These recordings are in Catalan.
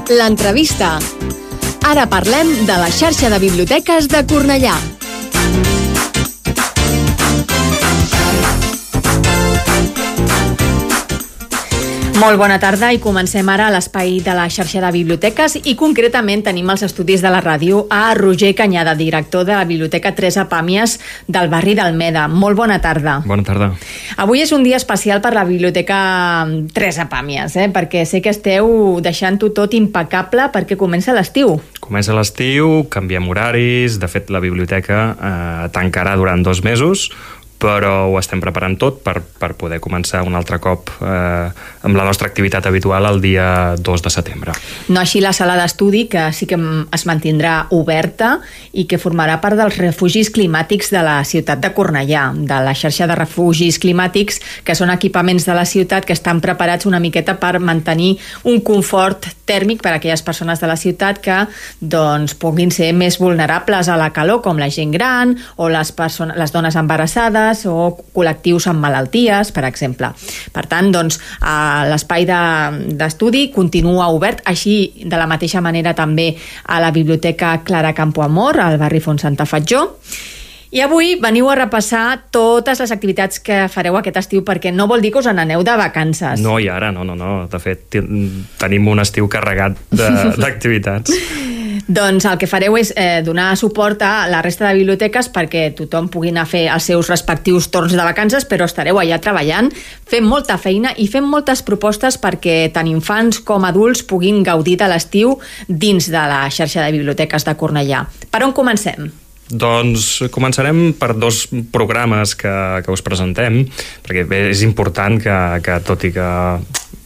L'entrevista. Ara parlem de la xarxa de biblioteques de Cornellà. Molt bona tarda i comencem ara a l'espai de la xarxa de biblioteques i concretament tenim als estudis de la ràdio a Roger Canyada, director de la Biblioteca Teresa Pàmies del barri d'Almeda. Molt bona tarda. Bona tarda. Avui és un dia especial per la Biblioteca Teresa Pàmies, perquè sé que esteu deixant-ho tot impecable perquè comença l'estiu. Comença l'estiu, canviem horaris, de fet la biblioteca tancarà durant 2 mesos, però ho estem preparant tot per poder començar un altre cop amb la nostra activitat habitual el dia 2 de setembre. No així la sala d'estudi, que sí que es mantindrà oberta i que formarà part dels refugis climàtics de la ciutat de Cornellà, de la xarxa de refugis climàtics, que són equipaments de la ciutat que estan preparats una miqueta per mantenir un confort tèrmic per a aquelles persones de la ciutat que puguin ser més vulnerables a la calor, com la gent gran o les dones embarassades o col·lectius amb malalties, per exemple. Per tant, l'espai d'estudi continua obert, així de la mateixa manera també a la Biblioteca Clara Campoamor, al barri Font Santa Fatjó. I avui veniu a repassar totes les activitats que fareu aquest estiu, perquè no vol dir que us n'aneu de vacances. No, i ara, no. De fet, tenim un estiu carregat d'activitats. Doncs el que fareu és donar suport a la resta de biblioteques perquè tothom pugui anar a fer els seus respectius torns de vacances, però estareu allà treballant, fent molta feina i fent moltes propostes perquè tant infants com adults puguin gaudir de l'estiu dins de la xarxa de biblioteques de Cornellà. Per on comencem? Doncs començarem per 2 programes que us presentem, perquè és important que tot i que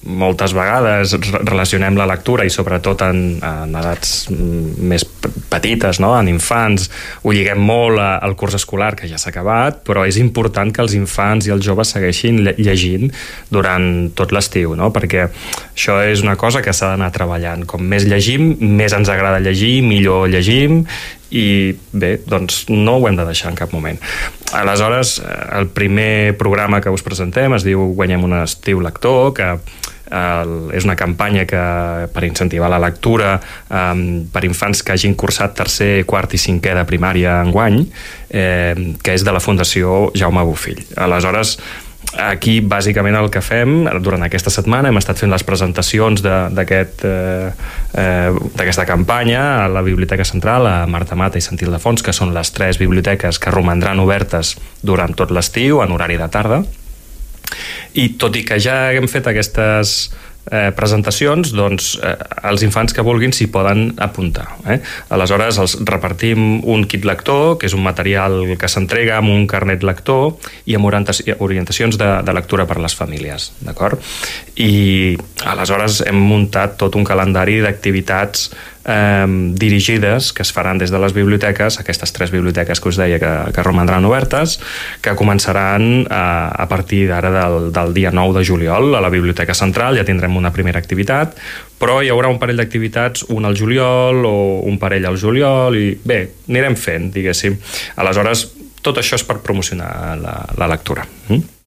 moltes vegades relacionem la lectura i sobretot en edats més petites, no? En infants, ho lliguem molt al curs escolar que ja s'ha acabat, però és important que els infants i els joves segueixin llegint durant tot l'estiu, no? Perquè això és una cosa que s'ha d'anar treballant. Com més llegim, més ens agrada llegir, millor llegim, i bé, doncs no ho hem de deixar en cap moment. Aleshores, el primer programa que us presentem es diu Guanyem un estiu lector, que és una campanya per incentivar la lectura per infants que hagin cursat 3è, 4è i 5è de primària enguany, que és de la Fundació Jaume Bofill. Aleshores, aquí bàsicament el que fem durant aquesta setmana hem estat fent les presentacions d'aquesta campanya a la Biblioteca Central, a Marta Mata i Sant Ildefons, que són les 3 biblioteques que romandran obertes durant tot l'estiu en horari de tarda. I tot i que ja hem fet aquestes presentacions, doncs els infants que vulguin s'hi poden apuntar. Aleshores els repartim un kit lector, que és un material que s'entrega amb un carnet lector i amb orientacions de lectura per a les famílies, d'acord? I aleshores hem muntat tot un calendari d'activitats dirigides que es faran des de les biblioteques, aquestes 3 biblioteques que us deia que romandran obertes, que començaran a partir d'ara del dia 9 de juliol. A la Biblioteca Central ja tindrem una primera activitat, però hi haurà un parell d'activitats, un al juliol o un parell al juliol, i bé, anirem fent, diguéssim. Aleshores, tot això és per promocionar la lectura.